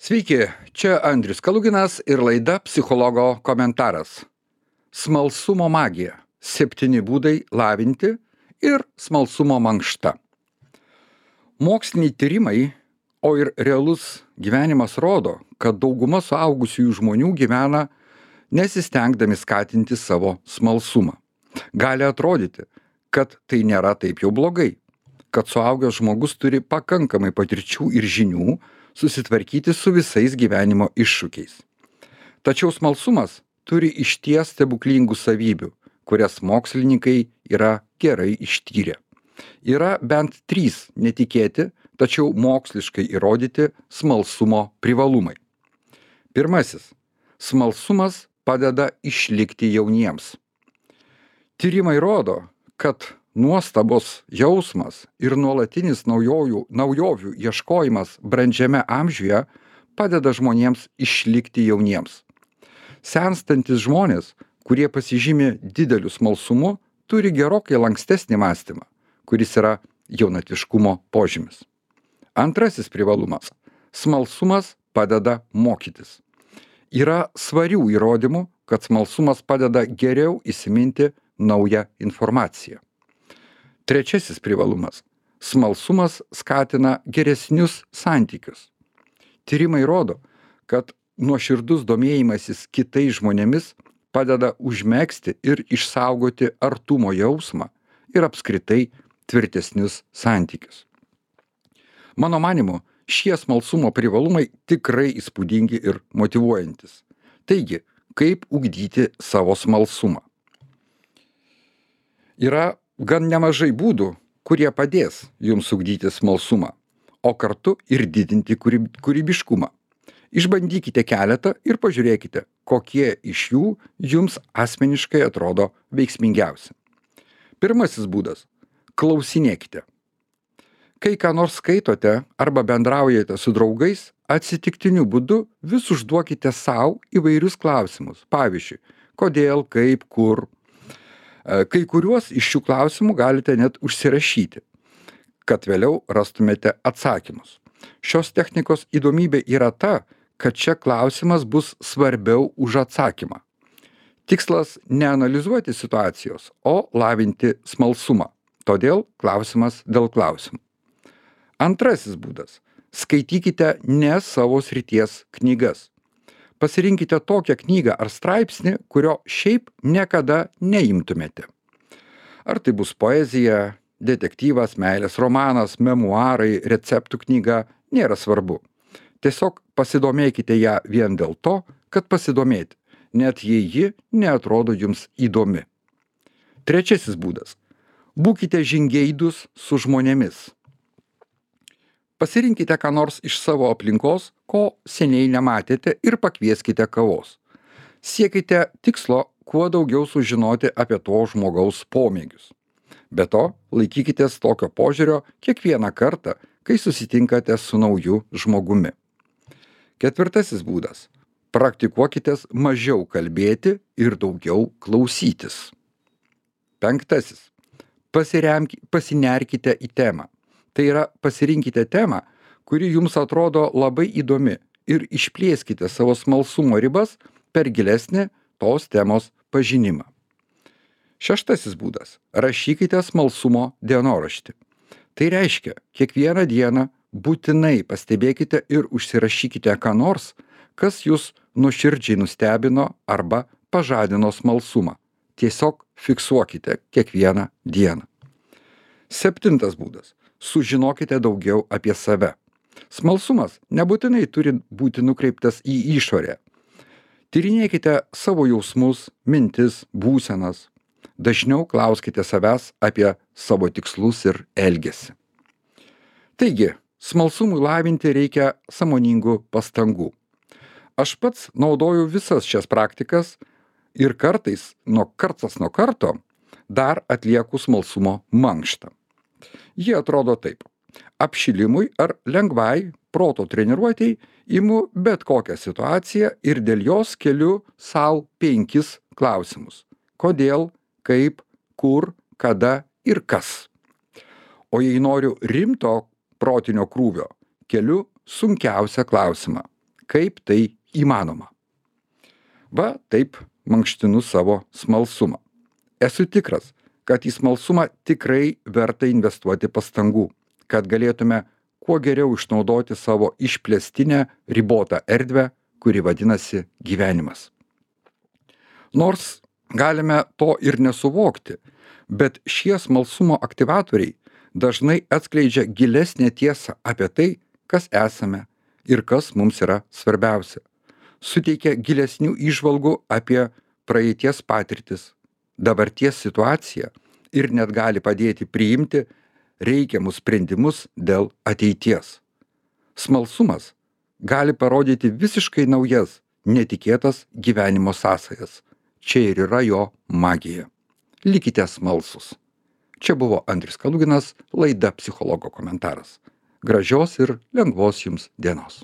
Sveiki, čia Andrius Kaluginas ir laida Psichologo komentaras. Smalsumo magija. 7 būdai lavinti ir smalsumo mankšta. Moksliniai tyrimai, o ir realus gyvenimas rodo, kad dauguma suaugusiųjų žmonių gyvena nesistengdami skatinti savo smalsumą. Gali atrodyti, kad tai nėra taip jau blogai, kad suaugęs žmogus turi pakankamai patirčių ir žinių susitvarkyti su visais gyvenimo iššūkiais. Tačiau smalsumas turi išties stebuklingų savybių, kurias mokslininkai yra gerai ištyrę. Yra bent 3 netikėti, tačiau moksliškai įrodyti smalsumo privalumai. Pirmasis. Smalsumas padeda išlikti jauniems. Tyrimai rodo, kad nuostabos jausmas ir nuolatinis naujovių ieškojimas brandžiame amžiuje padeda žmonėms išlikti jauniems. Senstantis žmonės, kurie pasižymi dideliu smalsumu, turi gerokai lankstesnį mąstymą, kuris yra jaunatviškumo požymis. Antrasis privalumas. Smalsumas padeda mokytis. Yra svarių įrodymų, kad smalsumas padeda geriau įsiminti naują informaciją. Trečiasis privalumas. Smalsumas skatina geresnius santykius. Tyrimai rodo, kad nuoširdus domėjimasis kitais žmonėmis padeda užmegzti ir išsaugoti artumo jausmą ir apskritai tvirtesnius santykius. Mano manymu, šie smalsumo privalumai tikrai įspūdingi ir motyvuojantis. Taigi, kaip ugdyti savo smalsumą? Yra gan nemažai būdų, kurie padės jums ugdyti smalsumą, o kartu ir didinti kūrybiškumą. Išbandykite keletą ir pažiūrėkite, kokie iš jų jums asmeniškai atrodo veiksmingiausi. Pirmasis būdas – klausinėkite. Kai ką nors skaitote arba bendraujate su draugais, atsitiktiniu būdu vis užduokite sau įvairius klausimus. Pavyzdžiui, kodėl, kaip, kur. Kai kuriuos iš šių klausimų galite net užsirašyti, kad vėliau rastumėte atsakymus. Šios technikos įdomybė yra ta, kad čia klausimas bus svarbiau už atsakymą. Tikslas ne analizuoti situacijos, o lavinti smalsumą. Todėl klausimas dėl klausimų. Antrasis būdas. Skaitykite ne savo srities knygas. Pasirinkite tokią knygą ar straipsnį, kurio šiaip niekada neimtumėte. Ar tai bus poezija, detektyvas, meilės romanas, memuarai, receptų knyga, nėra svarbu. Tiesiog pasidomėkite ją vien dėl to, kad pasidomėti, net jei ji neatrodo jums įdomi. Trečiasis būdas. Būkite žingeidūs su žmonėmis. Pasirinkite ką nors iš savo aplinkos, ko seniai nematėte ir pakvieskite kavos. Siekite tikslo kuo daugiau sužinoti apie to žmogaus pomėgius. Be to, laikykitės tokio požiūrio kiekvieną kartą, kai susitinkate su nauju žmogumi. Ketvirtasis būdas. Praktikuokitės mažiau kalbėti ir daugiau klausytis. Penktasis. Pasinerkite į temą. Tai yra, pasirinkite temą, kuri jums atrodo labai įdomi ir išplėskite savo smalsumo ribas per gilesnį tos temos pažinimą. Šeštasis būdas. Rašykite smalsumo dienoraštį. Tai reiškia, kiekvieną dieną būtinai pastebėkite ir užsirašykite ką nors, kas jūs nuoširdžiai nustebino arba pažadino smalsumą. Tiesiog fiksuokite kiekvieną dieną. Septintas būdas. Sužinokite daugiau apie save. Smalsumas nebūtinai turi būti nukreiptas į išorę. Tyrinėkite savo jausmus, mintis, būsenas. Dažniau klauskite savęs apie savo tikslus ir elgesį. Taigi, smalsumui lavinti reikia sąmoningų pastangų. Aš pats naudoju visas šias praktikas ir kartais kartas nuo karto dar atlieku smalsumo mankštą. Jie atrodo taip. Apšilimui ar lengvai proto treniruotei imu bet kokią situaciją ir dėl jos keliu sau 5 klausimus. Kodėl, kaip, kur, kada ir kas. O jei noriu rimto protinio krūvio, keliu sunkiausią klausimą. Kaip tai įmanoma? Va taip mankštinu savo smalsumą. Esu tikras, kad į smalsumą tikrai verta investuoti pastangų, kad galėtume kuo geriau išnaudoti savo išplėstinę ribotą erdvę, kuri vadinasi gyvenimas. Nors galime to ir nesuvokti, bet šie smalsumo aktyvatoriai dažnai atskleidžia gilesnę tiesą apie tai, kas esame ir kas mums yra svarbiausia. Suteikia gilesnių įžvalgų apie praeities patirtis, dabarties situaciją ir net gali padėti priimti reikiamus sprendimus dėl ateities. Smalsumas gali parodyti visiškai naujas, netikėtas gyvenimo sąsajas. Čia ir yra jo magija. Likite smalsūs. Čia buvo Andrius Kaluginas, laida Psichologo komentaras. Gražios ir lengvos jums dienos.